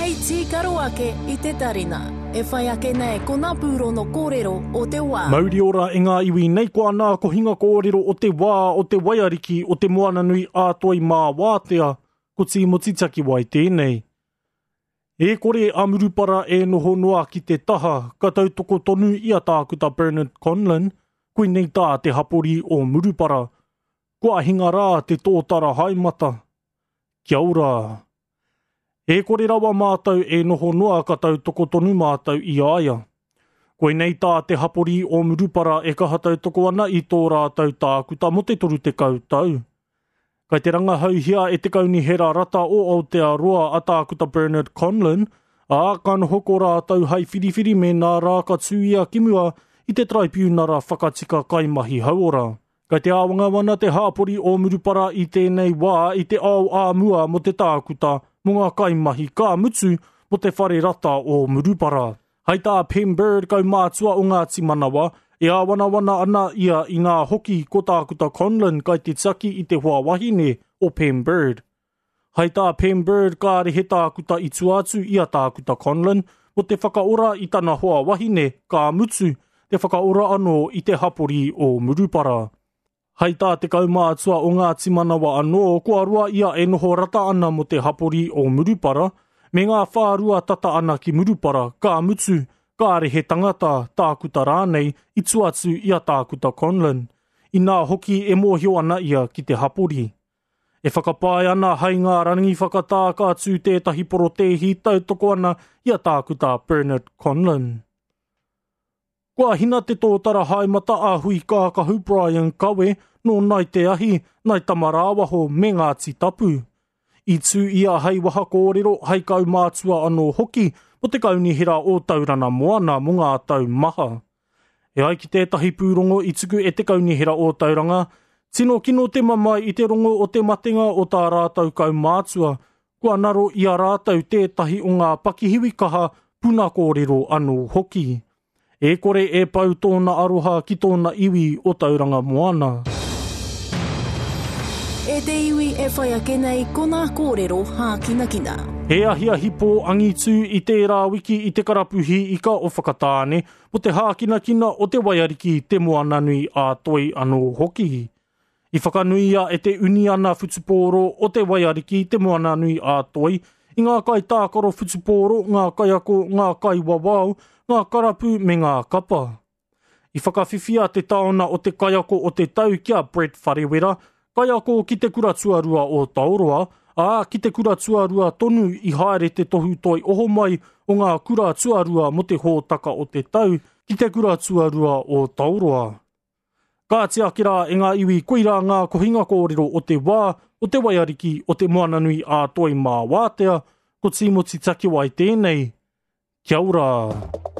Hei tīkaro ake i te tarina. E whai ake nei ko ngā pūrono kōrero o te wā. Mauri ora e ngā iwi nei ko ana kohinga kōrero o te wā o te waiariki o te Moananui a Toi mā Wātea, ko Tīmoti Takiwai tēnei. E kore a Murupara e noho noa ki te taha, ka tautoko tonu i a Tākuta Bernard Conlon, koinei tā te hapori o Murupara. Kua hinga rā te tōtara haemata. Kia ora. E kore rawa mātou e noho noa ka tautoko tonu mātou i a ia. Koinei tā te hapori o Murupara e kaha tautoko ana i tō rātou tākuta mō te 30 tau. Kai te rangahauhia e te Kaunihera Rata o Aotearoa a Tākuta Bernard Conlon, ā, ka noho ko rātou hai whiriwhiri mēnā rā ka tū ia ki mua i te Taraipiunara Whakatika Kaimahi Hauora. Kai te āwangawana te hāpori o Murupara i tēnei wā i te ao ā mua mō te tākuta, mō ngā kaimahi, ka mutu, mō te whare rata o Murupara. Hai tā Pem Bird, kaumātua o Ngāti Manawa, e āwanawana ana ia inā hoki ko Tākuta Conlon kai te tiaki i te hoa wahine o Pem Bird. Hai tā Pem Bird kāre he tākuta i tua atu i a Tākuta Conlon mō te whakaora i tana hoa wahine, ka mutu, te whakaora anō i te hapori o Murupara. Hai tā te kaumātua o Ngāti Manawa anō, kua roa ia e noho rata ana mō te hapori o Murupara, me ngā whārua tata ana ki Murupara, ka mutu, kāre he tangata, tākuta rānei, i tua atu i a Tākuta Conlon. Inā hoki e mōhio ana ia ki te hapori. E whakapae ana hai ngā rangi whakatā ka tū tētahi porotēhi tautoko ana i a Tākuta Bernard Conlon. Kua hina te tōtara haemata a Hui Kākahu Brian Kawe nō Nai Te Ahi, Nai Tamarāwaho me Ngāti Tapu. I tū ia hai waha kōrero, hai kaumātua anō hoki mō te Kaunihera o Taurana Moana mō ngā tau maha. E ai ki tētahi pūrongo i tuku e te Kaunihera o Tauranga, tino kino te mamae i te rongo o te matenga o tā rātou kaumātua, kua naro i a rātou tētahi o ngā pakihiwi kaha puna kōrero anō hoki. E kore e pau tōna aroha ki tōna iwi o Tauranga Moana. E te iwi e whai ake nei ko nā kōrero hākinakina. He ahiahi pō angitu i tērā wiki i te karapu hī ika o Whakatāne mō te hākinakina o te waiariki Te Moananui a Toi anō hoki. I whakanuia e te Uniana Whutupōro o te Waiariki Te Moananui a Toi i ngā kaitākaro whutupōro, ngā kaiako, ngā kaiwawao, ngā karapu me ngā kapa. I whakawhiwhia te taona o te kaiako o te tau ki a Brett Wharewera, kaiako ki te kura tuarua o Taoroa, ā, ki te kura tuarua tonu i haere te tohu toi ohomai o ngā kura tuarua mō te hōtaka o te tau ki te kura tuarua o Taoroa. Kāti ake rā e ngā iwi koirā ngā kohinga kōrero o te wā, o te waiariki, o te Moananui ā Toi mā Wātea, ko Tīmoti Takiwai tēnei. Kia ora!